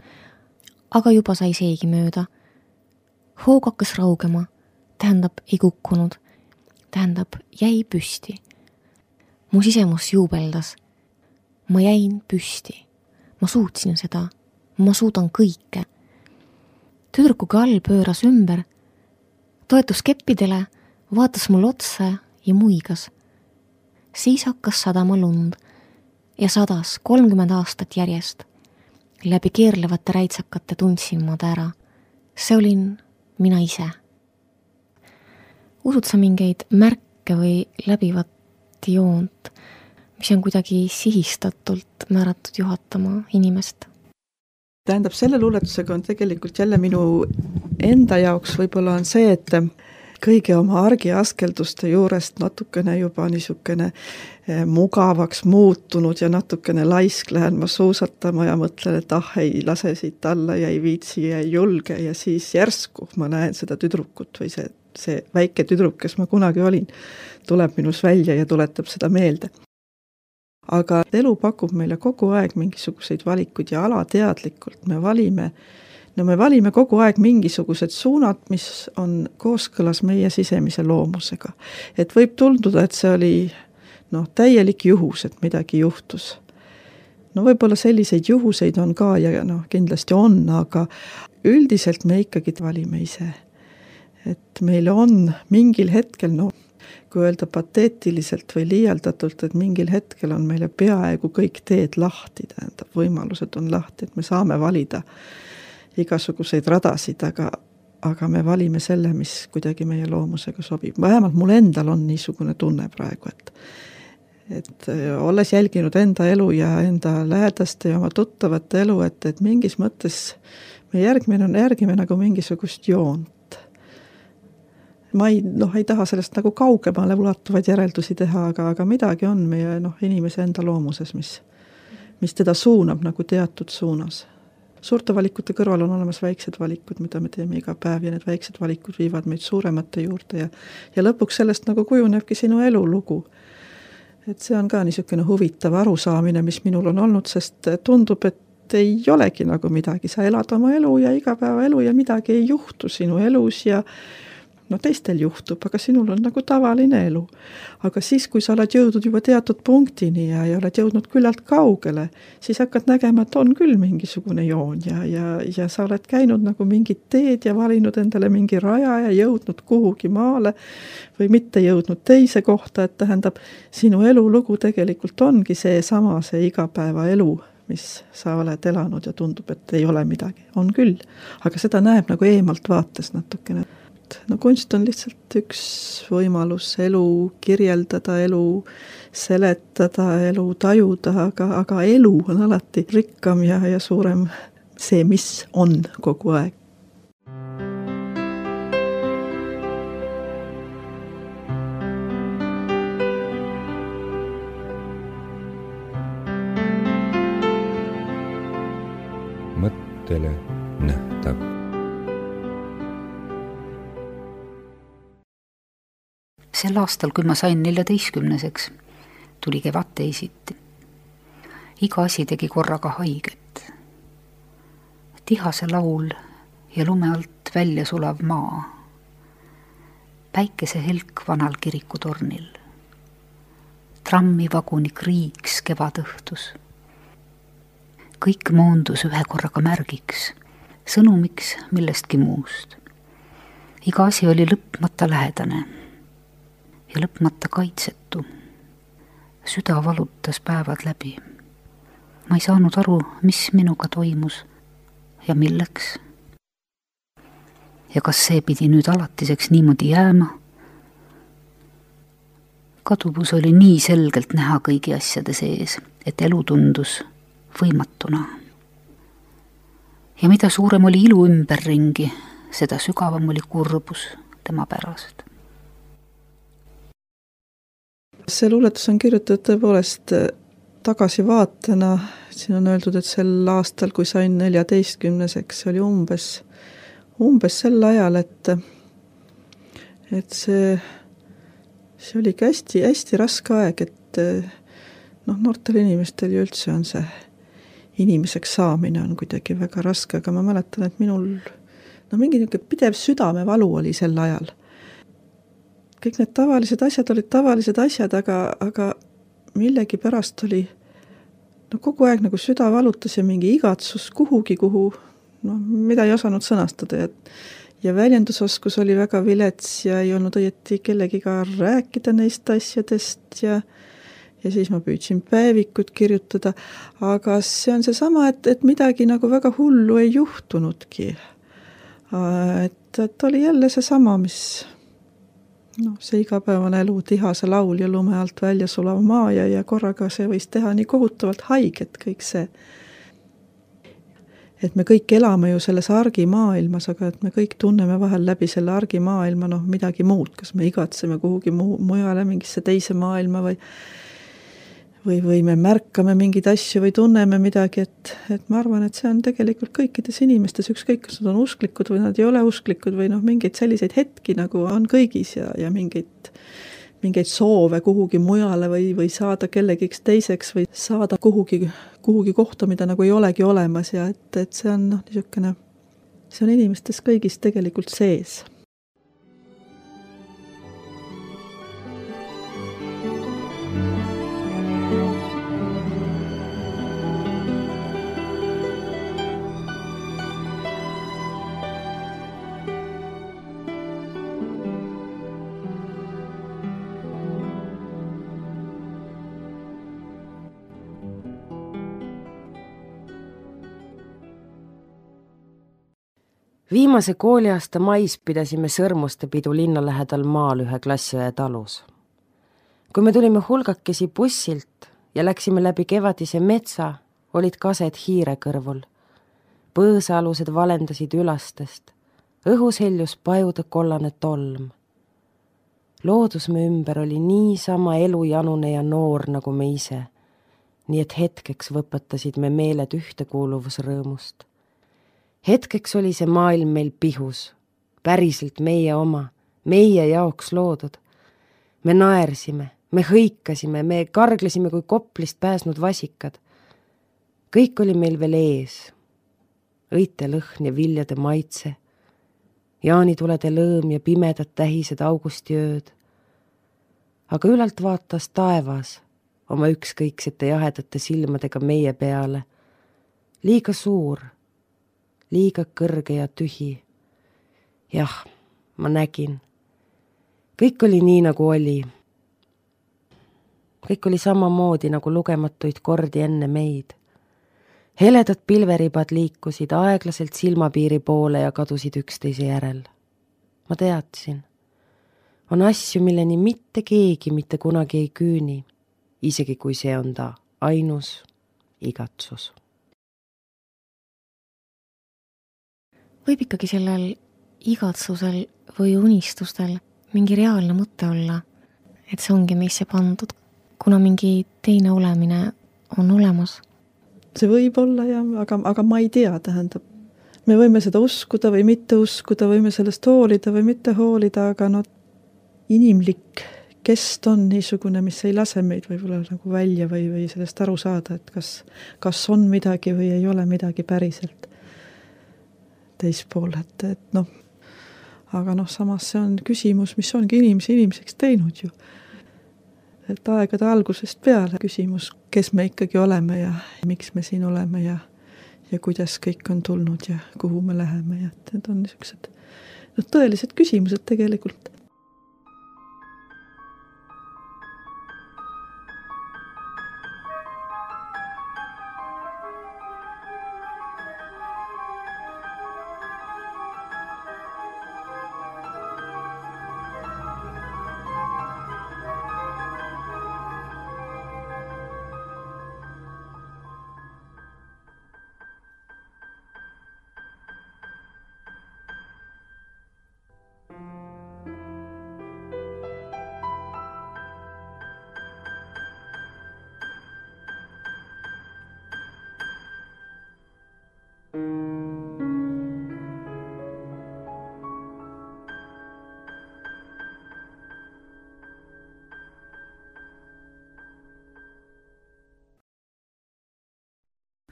B: aga juba sai seegi mööda. Hoog hakkas raugema, tähendab ei kukkunud, tähendab jäi püsti. Mu sisemus juubeldas. Ma jäin püsti. Ma suutsin seda. Ma suudan kõike. Tüdruku kall pööras ümber, toetus keppidele, vaatas mul otsa ja muigas. Siis hakkas sadama lund ja sadas 30 aastat järjest. Läbi keerlevate räitsakate tundsin ma ta ära. See olin mina ise. Usud sa mingeid märke või läbivat joont, mis on kuidagi sihistatult määratud juhatama inimest?
G: Tähendab, selle luuletusega on tegelikult jälle minu enda jaoks võib-olla on see, et kõige oma argiaskelduste juurest natukene juba niisugune mugavaks muutunud ja natukene laisk lähen ma suusatama ja mõtlen, et ei lase siit alla ja ei viitsi ja ei julge ja siis järsku ma näen seda tüdrukut või see väike tüdruk, kes ma kunagi olin, tuleb minus välja ja tuletab seda meelde. Aga elu pakub meile kogu aeg mingisuguseid valikuid ja alateadlikult me valime kogu aeg mingisugused suunad, mis on kooskõlas meie sisemise loomusega. Et võib tunduda, et see oli täielik juhus, et midagi juhtus. Võib-olla selliseid juhuseid on ka ja kindlasti on, aga üldiselt me ikkagi valime ise. Et meil on mingil hetkel, kui öelda pateetiliselt või liialdatult, et mingil hetkel on meile peaaegu kõik teed lahti, tähendab, võimalused on lahti, et me saame valida igasuguseid radasid, aga me valime selle, mis kuidagi meie loomusega sobib. Vähemalt mul endal on niisugune tunne praegu, et olles jälginud enda elu ja enda lähedaste ja oma tuttavate elu, et mingis mõttes me järgime nagu mingisugust joont. Ma ei taha sellest nagu kaugemale ulatuvaid järeldusi teha, aga midagi on meie inimese enda loomuses, mis teda suunab nagu teatud suunas. Suurte valikute kõrval on olemas väiksed valikud, mida me teeme iga päev ja need väiksed valikud viivad meid suuremate juurde ja lõpuks sellest nagu kujunebki sinu elulugu. Et see on ka niisugune huvitav arusaamine, mis minul on olnud, sest tundub, et ei olegi nagu midagi. Sa elad oma elu ja igapäeva elu ja midagi ei juhtu sinu elus ja teistel juhtub, aga sinul on nagu tavaline elu. Aga siis, kui sa oled jõudnud juba teatud punktini ja oled jõudnud küllalt kaugele, siis hakkad nägema, et on küll mingisugune joon ja sa oled käinud nagu mingid teed ja valinud endale mingi raja ja jõudnud kuhugi maale või mitte jõudnud teise kohta, et tähendab, sinu elulugu tegelikult ongi see igapäeva elu, mis sa oled elanud ja tundub, et ei ole midagi. On küll, aga seda näeb nagu eemalt vaates natukene. Kunst on lihtsalt üks võimalus elu kirjeldada, elu seletada, elu tajuda, aga elu on alati rikkam ja suurem see, mis on kogu aeg.
A: Mõttele nähtav.
F: Sel aastal, kui ma sain 14-seks, tuli kevad teisiti. Iga asi tegi korraga haiget. Tihase laul ja lume alt välja sulav maa. Päikese helk vanal kirikutornil. Trammivaguni kriiks kevadõhtus. Kõik moondus ühe korraga märgiks, sõnumiks millestki muust. Iga asi oli lõpmata lähedane ja lõpmata kaitsetu. Süda valutas päevad läbi. Ma ei saanud aru, mis minuga toimus ja milleks. Ja kas see pidi nüüd alatiseks niimoodi jääma? Kaduvus oli nii selgelt näha kõigi asjade sees, et elu tundus võimatuna. Ja mida suurem oli ilu ümberringi, seda sügavam oli kurbus tema pärast.
G: See luuletus on kirjutatud tõepoolest tagasivaatena, siin on öeldud, et sel aastal, kui sain 14-seks, oli umbes sel ajal, et see oligi hästi raske aeg, et noortel inimestel ju üldse on see inimeseks saamine on kuidagi väga raske, aga ma mäletan, et minul mingi pidev südamevalu oli sel ajal. Kõik need tavalised asjad olid tavalised asjad, aga millegi pärast oli kogu aeg nagu süda valutas ja mingi igatsus kuhugi, mida ei osanud sõnastada ja väljendusoskus oli väga vilets ja ei olnud õieti kellegiga rääkida neist asjadest ja siis ma püüdsin päevikut kirjutada, aga see on seesama, et midagi nagu väga hullu ei juhtunudki. Et oli jälle seesama, mis see igapäevane elu, tihase laul ja lume alt välja sulav maa ja korraga see võis teha nii kohutavalt haiget kõik see. Et me kõik elame ju selles argimaailmas, aga et me kõik tunneme vahel läbi selle argimaailma midagi muud, kas me igatseme kuhugi mujale mingisse teise maailma või me märkame mingeid asju või tunneme midagi, et ma arvan, et see on tegelikult kõikides inimestes, ükskõik, kas nad on usklikud või nad ei ole usklikud või mingeid selliseid hetki nagu on kõigis ja mingeid soove kuhugi mujale või saada kellegiks teiseks või saada kuhugi kohta, mida nagu ei olegi olemas ja et see on niisugune, see on inimestes kõigis tegelikult sees.
C: Viimase kooliaasta mais pidasime sõrmuste pidu linna lähedal maal ühe klassiõe talus. Kui me tulime hulgakesi bussilt ja läksime läbi kevadise metsa, olid kased hiire kõrvul. Põõsaalused valendasid ülastest. Õhus heljus pajude kollane tolm. Loodus me ümber oli niisama elujanune ja noor nagu me ise, nii et hetkeks võpatasid me meeled ühtekuuluvusrõõmust. Hetkeks oli see maailm meil pihus, päriselt meie oma, meie jaoks loodud. Me naersime, me hõikasime, me karglesime kui Koplist pääsnud vasikad. Kõik oli meil veel ees. Õitelõhn ja viljade maitse, jaanitulede lõõm ja pimedad tähised augustiööd. Aga ülalt vaatas taevas oma ükskõiksete jahedate silmadega meie peale. Liiga suur, liiga kõrge ja tühi. Jah, ma nägin. Kõik oli nii, nagu oli. Kõik oli samamoodi nagu lugematuid kordi enne meid. Heledad pilveribad liikusid aeglaselt silmapiiri poole ja kadusid üksteise järel. Ma teadsin. On asju, milleni mitte keegi mitte kunagi ei küüni, isegi kui see on ta ainus igatsus.
B: Võib ikkagi sellel igatsusel või unistustel mingi reaalne mõte olla, et see ongi meisse pandud, kuna mingi teine olemine on olemas.
G: See võib olla aga ma ei tea, tähendab. Me võime seda uskuda või mitte uskuda, võime sellest hoolida või mitte hoolida, aga inimlik kest on niisugune, mis ei lase meid võib-olla nagu välja või sellest aru saada, et kas on midagi või ei ole midagi päriselt teispool, aga samas see on küsimus, mis ongi inimeseks teinud ju. Et aegade algusest peale küsimus, kes me ikkagi oleme ja miks me siin oleme ja kuidas kõik on tulnud ja kuhu me läheme ja need on niisugused tõelised küsimused tegelikult.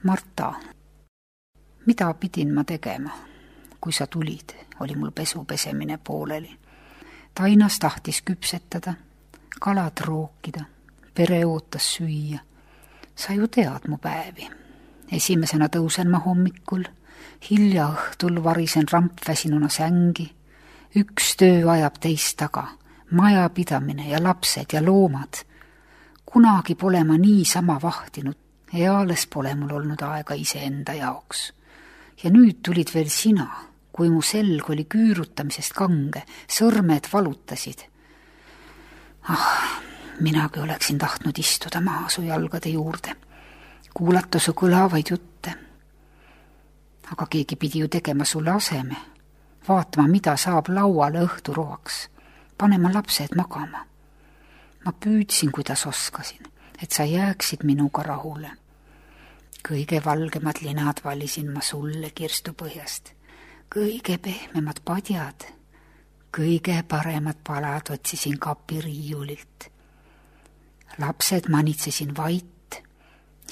F: Marta, mida pidin ma tegema? Kui sa tulid, oli mul pesu pesemine pooleli. Tainas tahtis küpsetada, kalad rookida, pere ootas süüa. Sa ju tead mu päevi. Esimesena tõusen ma hommikul, hilja õhtul varisen rampväsinuna sängi. Üks töö ajab teist taga, majapidamine ja lapsed ja loomad. Kunagi pole ma niisama vahtinud, eales pole mul olnud aega iseenda jaoks. Ja nüüd tulid veel sina, kui mu selg oli küürutamisest kange, sõrmed valutasid. Minagi oleksin tahtnud istuda maha su jalgade juurde, kuulata su kõlavaid jutte. Aga keegi pidi ju tegema sulle aseme, vaatama, mida saab lauale õhturoaks, panema lapsed magama. Ma püüdsin, kuidas oskasin, et sa jääksid minuga rahule. Kõige valgemad linad valisin ma sulle kirstupõhjast, kõige pehmemad padjad, kõige paremad palad otsisin kapiriiulilt. Lapsed manitsesin vait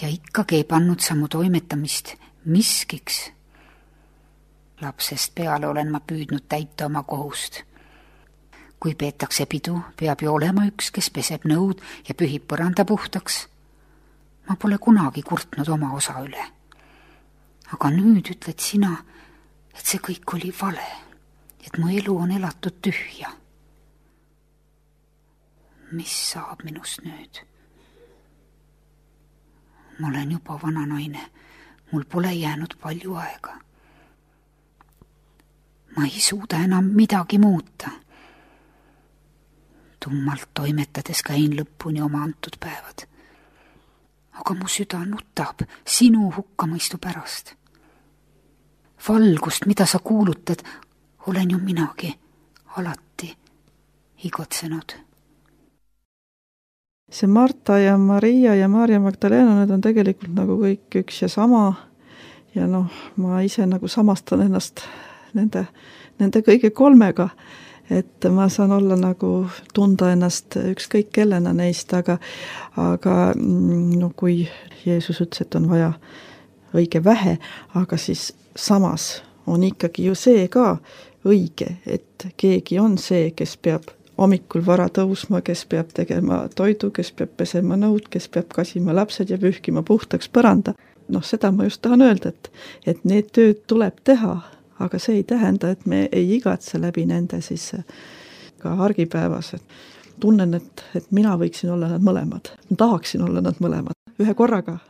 F: ja ikkagi ei pannud sa mu toimetamist miskiks. Lapsest peale olen ma püüdnud täita oma kohust. Kui peetakse pidu, peab ju olema üks, kes peseb nõud ja pühib põranda puhtaks. Ma pole kunagi kurtnud oma osa üle. Aga nüüd ütled sina, et see kõik oli vale, et mu elu on elatud tühja. Mis saab minust nüüd? Ma olen juba vana naine, mul pole jäänud palju aega. Ma ei suuda enam midagi muuta. Tummalt toimetades käin lõpuni oma antud päevad. Aga mu süda nutab sinu hukkamõistu pärast. Valgust, mida sa kuulutad, olen ju minagi alati igotsenud.
G: See Marta ja Maria ja Maarja Magdalena, need on tegelikult nagu kõik üks ja sama. Ja ma ise nagu samastan ennast nende kõige kolmega. Et ma saan olla nagu tunda ennast ükskõik kellena neist, aga kui Jeesus ütles, et on vaja õige vähe, aga siis samas on ikkagi ju see ka õige, et keegi on see, kes peab hommikul vara tõusma, kes peab tegema toidu, kes peab pesema nõud, kes peab kasima lapsed ja pühkima puhtaks põranda. Seda ma just tahan öelda, et need tööd tuleb teha, aga see ei tähenda, et me ei igatse läbi nende siis ka argipäevas. Tunnen, et mina võiksin olla nad mõlemad. Ma tahaksin olla nad mõlemad. Ühe korraga.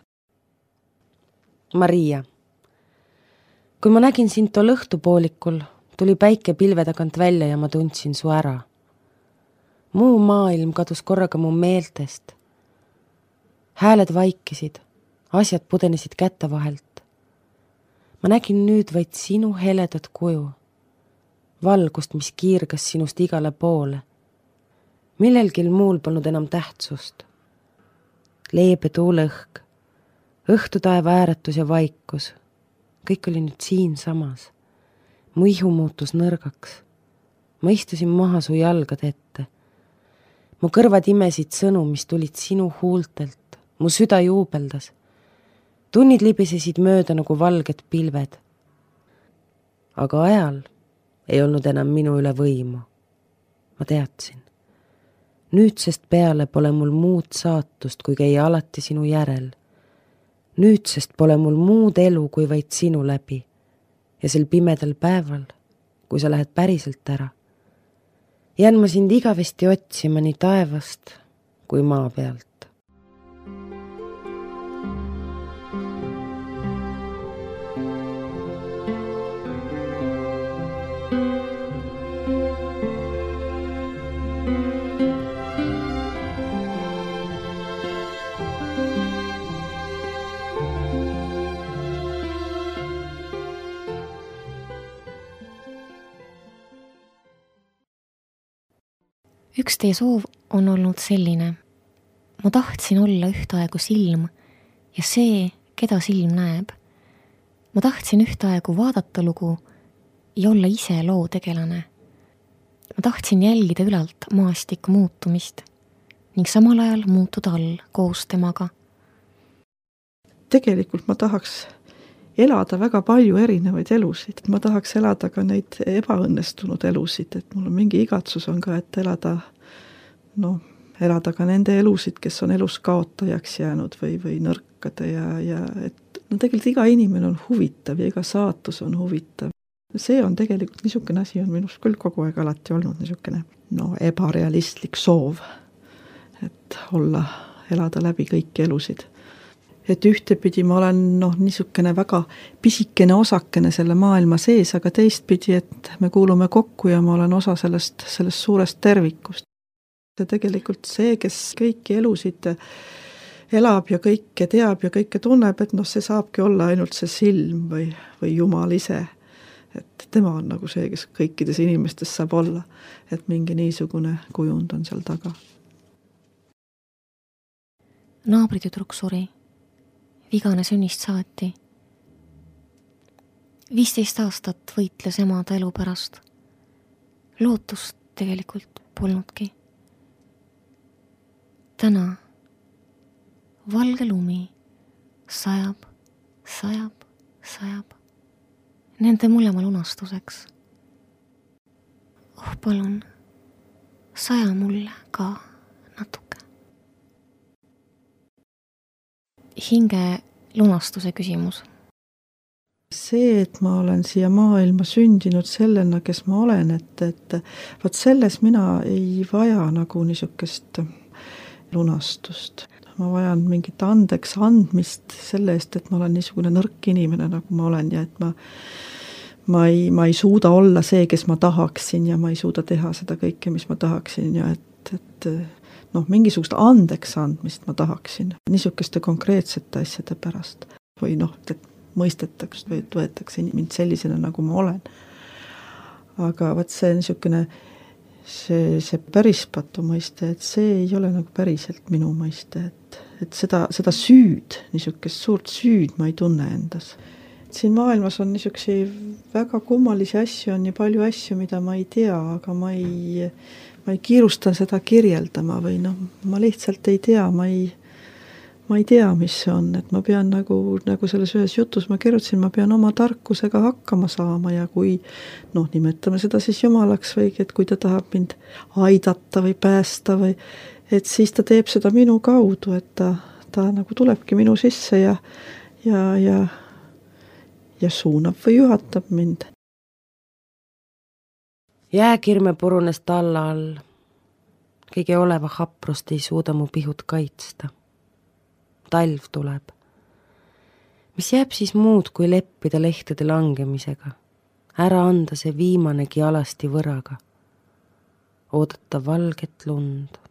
C: Maria. Kui ma nägin sind tol õhtupoolikul, tuli päike pilve tagant välja ja ma tundsin su ära. Muu maailm kadus korraga mu meeltest. Hääled vaikisid, asjad pudenesid kätte vahelt. Ma nägin nüüd vaid sinu heledat kuju, valgust, mis kiirgas sinust igale poole. Millelgi muul polnud enam tähtsust. Leebe tuuleõhk, õhtutaeva ääretus ja vaikus. Kõik oli nüüd siin samas. Mu ihu muutus nõrgaks. Ma istusin maha su jalgade ette. Mu kõrvad imesid sõnu, mis tulid sinu huultelt. Mu süda juubeldas. Tunnid libisesid mööda nagu valged pilved. Aga ajal ei olnud enam minu üle võimu. Ma teadsin. Nüüdsest peale pole mul muud saatust, kui käia alati sinu järel. Nüüdsest pole mul muud elu, kui vaid sinu läbi. Ja sel pimedal päeval, kui sa lähed päriselt ära, jään ma sind igavesti otsima nii taevast kui maa pealt.
B: Üks teie soov on olnud selline. Ma tahtsin olla ühtaegu silm ja see, keda silm näeb. Ma tahtsin ühtaegu vaadata lugu ja olla ise loo tegelane. Ma tahtsin jälgida ülalt maastiku muutumist ning samal ajal muutuda all koos temaga.
G: tegelikult ma tahaks elada väga palju erinevaid elusid. Ma tahaks elada ka neid ebaõnnestunud elusid, et mul on mingi igatsus on ka, et elada ka nende elusid, kes on elus kaotajaks jäänud või nõrkade ja et tegelikult iga inimene on huvitav ja iga saatus on huvitav. See on tegelikult, niisugune asi on minust küll kogu aeg alati olnud niisugune ebarealistlik soov, et elada läbi kõiki elusid. Et ühtepidi ma olen niisugune väga pisikene osakene selle maailma sees, aga teistpidi, et me kuulume kokku ja ma olen osa sellest suurest tervikust. Ja tegelikult see, kes kõiki elusid elab ja kõike teab ja kõike tunneb, et see saabki olla ainult see silm või Jumal ise. Et tema on nagu see, kes kõikides inimestes saab olla, et mingi niisugune kujund on seal taga.
B: Naabritüdruk suri. Vigane sünnist saati. 15 aastat võitles emada elu pärast. Lootust tegelikult polnudki. Täna valge lumi sajab. Nende mõlema lunastuseks. Palun, saja mulle ka natuke. Hinge lunastuse küsimus.
G: See, et ma olen siia maailma sündinud sellena, kes ma olen, et vaat selles mina ei vaja nagu niisugust lunastust. Ma vajan mingit andeks andmist selle eest, et ma olen niisugune nõrk inimene, nagu ma olen ja et ma ei suuda olla see, kes ma tahaksin ja ma ei suuda teha seda kõike, mis ma tahaksin ja et mingisugust andeks andmist ma tahaksin niisugeste konkreetsete asjade pärast või et mõistetaks või et võetakse mind sellisena, nagu ma olen. Aga vaat see niisugune see pärispatu mõiste, et see ei ole nagu päriselt minu mõiste, et seda süüd, niisugust suurt süüd ma ei tunne endas. Siin maailmas on niisugusi väga kummalisi asju, on nii palju asju, mida ma ei tea, aga ma ei kiirustan seda kirjeldama või ma lihtsalt ei tea, ma ei tea, mis see on, et ma pean nagu selles ühes jutus ma kirjutasin, ma pean oma tarkusega hakkama saama ja kui, nimetame seda siis Jumalaks või et kui ta tahab mind aidata või päästa või, et siis ta teeb seda minu kaudu, et ta nagu tulebki minu sisse ja suunab või juhatab mind.
C: Jääkirme purunes talla all. Kõige oleva haprust ei suuda mu pihut kaitsta. Talv tuleb. Mis jääb siis muud, kui leppida lehtede langemisega? Ära anda see viimanegi alasti võraga. Oodata valget lund.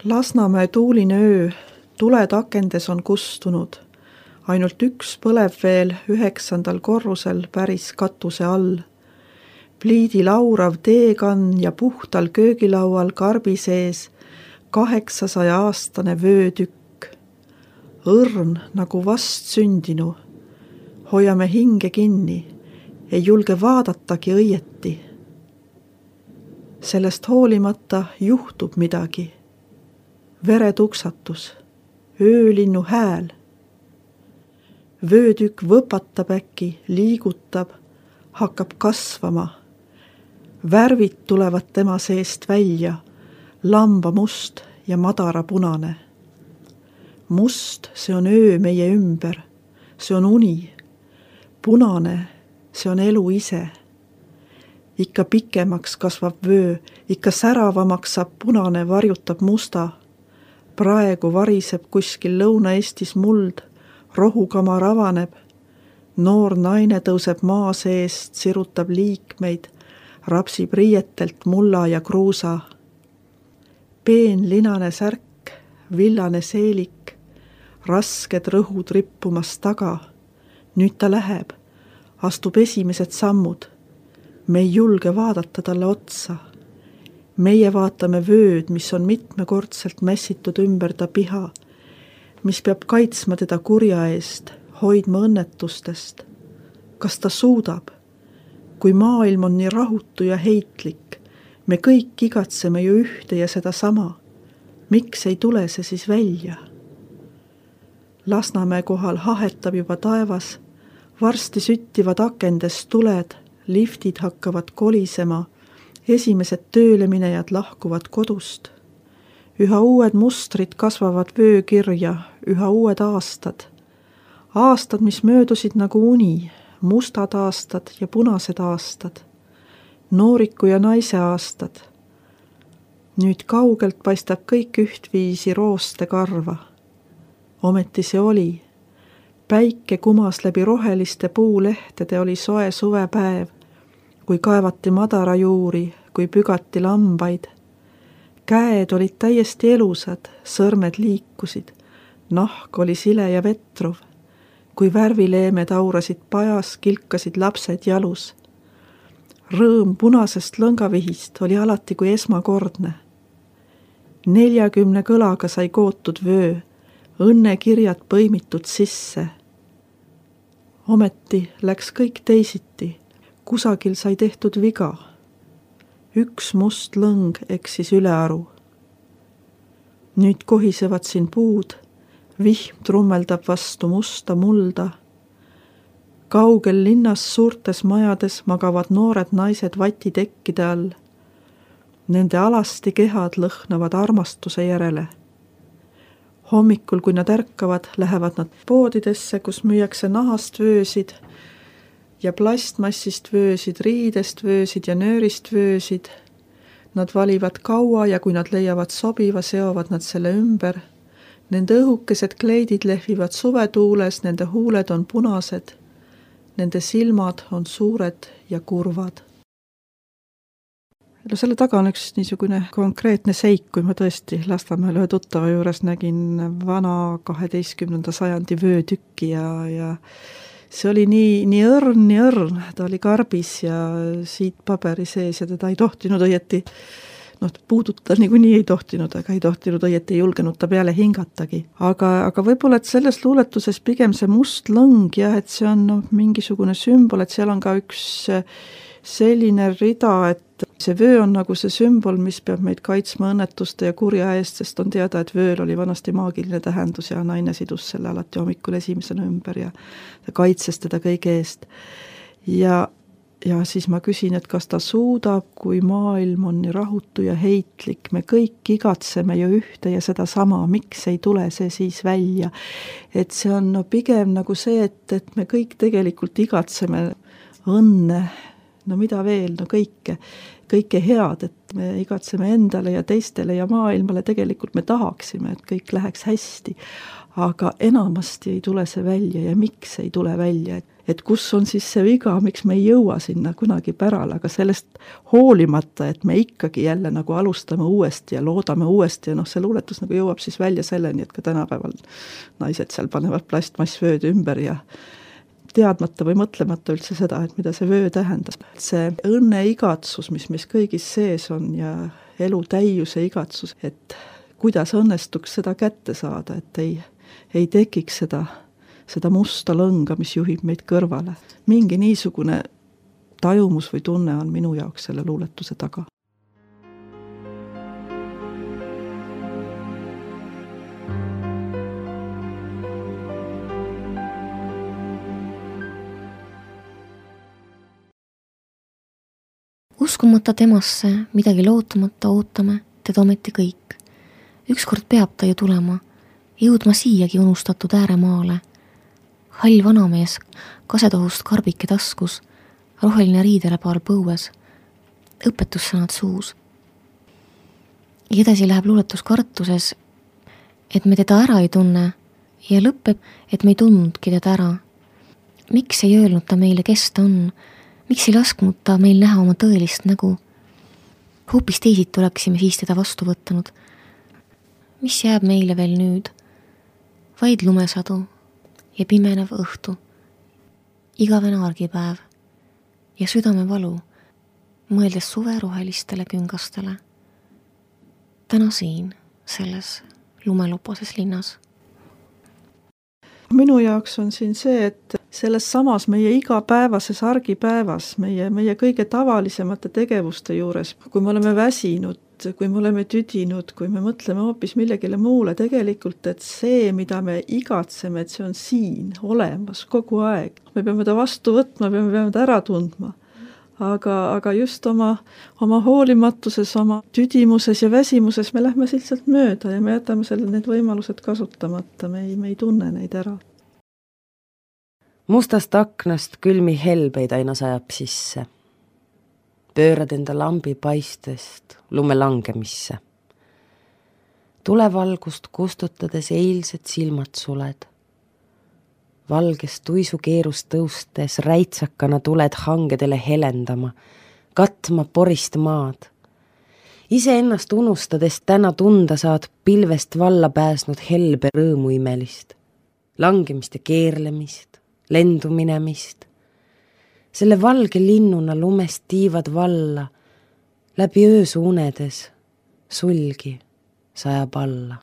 G: Lasnamäe tuuline öö, tuled akendes on kustunud. Ainult üks põleb veel 9. korrusel päris katuse all. Pliidi laurav teekann ja puhtal köögilaual karbi sees 800-aastane vöötükk. Õrn nagu vast sündinu. Hoiame hinge kinni, ei julge vaadatagi õieti. Sellest hoolimata juhtub midagi. Veretuksatus, öölinnu hääl. Vöötükk võpatab äkki, liigutab, hakkab kasvama. Värvid tulevad tema seest välja, lambamust ja madarapunane. Must, see on öö meie ümber, see on uni. Punane, see on elu ise. Ikka pikemaks kasvab vöö, ikka säravamaks saab punane, varjutab musta. Praegu variseb kuskil Lõuna-Eestis muld, rohukamar avaneb. Noor naine tõuseb maa seest, sirutab liikmeid, rapsib riietelt mulla ja kruusa. Peen linane särk, villane seelik, rasked rõhud rippumas taga. Nüüd ta läheb, astub esimesed sammud. Me ei julge vaadata talle otsa. meie vaatame vööd, mis on mitmekordselt mässitud ümber ta piha, mis peab kaitsma teda kurja eest, hoidma õnnetustest. Kas ta suudab? Kui maailm on nii rahutu ja heitlik, me kõik igatseme ju ühte ja seda sama. Miks ei tule see siis välja? Lasnamäe kohal hahetab juba taevas, varsti süttivad akendest tuled, liftid hakkavad kolisema, esimesed tööleminejad lahkuvad kodust. Üha uued mustrid kasvavad vöökirja, üha uued aastad. Aastad, mis möödusid nagu uni, mustad aastad ja punased aastad. Nooriku ja naise aastad. Nüüd kaugelt paistab kõik ühtviisi rooste karva. Ometi see oli. Päike kumas läbi roheliste puulehtede, oli soe suvepäev, kui kaevati madara juuri, kui pügati lambaid. Käed olid täiesti elusad, sõrmed liikusid, nahk oli sile ja vetruv. Kui värvileemed aurasid pajas, kilkasid lapsed jalus. Rõõm punasest lõngavihist oli alati kui esmakordne. 40 kõlaga sai kootud vöö, õnnekirjad põimitud sisse. Ometi läks kõik teisiti, kusagil sai tehtud viga. Üks must lõng eksis ülearu. Nüüd kohisevad siin puud, vihm trummeldab vastu musta mulda. Kaugel linnas suurtes majades magavad noored naised vatitekkide all. Nende alasti kehad lõhnavad armastuse järele. Hommikul, kui nad ärkavad, lähevad nad poodidesse, kus müüakse nahast vöösid ja plastmassist vöösid, riidest vöösid ja nöörist vöösid. Nad valivad kaua ja kui nad leiavad sobiva, seovad nad selle ümber. Nende õhukesed kleidid lehvivad suvetuules, nende huuled on punased. Nende silmad on suured ja kurvad. No selle taga on üks niisugune konkreetne seik, kui ma tõesti Lasnamäel ühe tuttava juures nägin vana 12. sajandi vöötükki ja see oli nii õrn, ta oli karbis ja siit paberi sees ja teda ei tohtinud õieti, puudutada niikuinii ei tohtinud, aga ei tohtinud õieti, ei julgenud ta peale hingatagi. Aga võib-olla, et selles luuletuses pigem see must lõng ja et see on mingisugune sümbol, et seal on ka üks selline rida, et see vöö on nagu see sümbol, mis peab meid kaitsma õnnetuste ja kurja eest, sest on teada, et vööl oli vanasti maagiline tähendus ja naine sidus selle alati hommikul esimesena ümber ja kaitses teda kõige eest. Ja siis ma küsin, et kas ta suudab, kui maailm on nii rahutu ja heitlik, me kõik igatseme ju ühte ja seda sama, miks ei tule see siis välja. Et see on pigem nagu see, et me kõik tegelikult igatseme õnne, mida veel, kõike head, et me igatseme endale ja teistele ja maailmale, tegelikult me tahaksime, et kõik läheks hästi, aga enamasti ei tule see välja ja miks ei tule välja, et kus on siis see viga, miks me ei jõua sinna kunagi pärale, aga sellest hoolimata, et me ikkagi jälle nagu alustame uuesti ja loodame uuesti ja see luuletus nagu jõuab siis välja selleni, et ka tänapäeval naised seal panevad plastmassvööd ümber ja teadmata või mõtlemata üldse seda, et mida see vöö tähendas. See õnne igatsus, mis meis kõigis sees on ja elu täiuse igatsus, et kuidas õnnestuks seda kätte saada, et ei tekiks seda musta lõnga, mis juhib meid kõrvale. Mingi niisugune tajumus või tunne on minu jaoks selle luuletuse taga.
B: Uskumata temasse, midagi lootumata ootame, teda ometi kõik. Ükskord peab ta ju tulema, jõudma siiagi unustatud ääremaale. Hall vanamees, kasetohust karbike taskus, roheline riidelepaal põues, õpetussõnad suus. Ja edasi läheb luuletus kartuses, et me teda ära ei tunne ja lõpeb, et me ei tundnudki teda ära. Miks ei öelnud ta meile, kes ta on? Miks ei lasknud ta meil näha oma tõelist nägu? Hoopis teisiti oleksime siis teda vastu võtanud. Mis jääb meile veel nüüd? Vaid lumesadu ja pimenev õhtu, igavene argipäev ja südamevalu, mõeldes suve rohelistele küngastele. täna siin, selles lumeluposes linnas?
G: Minu jaoks on siin see, et selles samas meie igapäevases argipäevas, meie kõige tavalisemate tegevuste juures, kui me oleme väsinud, kui me oleme tüdinud, kui me mõtleme hoopis millegile muule, tegelikult, et see, mida me igatseme, et see on siin olemas kogu aeg. Me peame ta vastu võtma, me peame ta ära tundma. Aga just oma hoolimatuses, oma tüdimuses ja väsimuses me lähme lihtsalt mööda ja me jätame need võimalused kasutamata, me ei tunne neid ära.
C: Mustast aknast külmi helbeid aina sajab sisse. Pöörad enda lambi paistest lume langemisse. Tulevalgust kustutades eilsed silmad suled. Valgest tuisukeerust tõustes räitsakana tuled hangedele helendama, katma porist maad. Iseennast unustades täna tunda saad pilvest valla pääsnud helbe rõõmu imelist, langemist ja keerlemist, lendu minemist. Selle valge linnuna lumest tiivad valla, läbi öösu unedes sulgi sajab alla.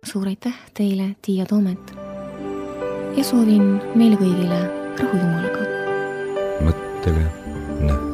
B: Suur aitäh teile, Tiia Toomet, ja soovin meile kõigile rahu Jumalaga.
A: mõttele nähtav.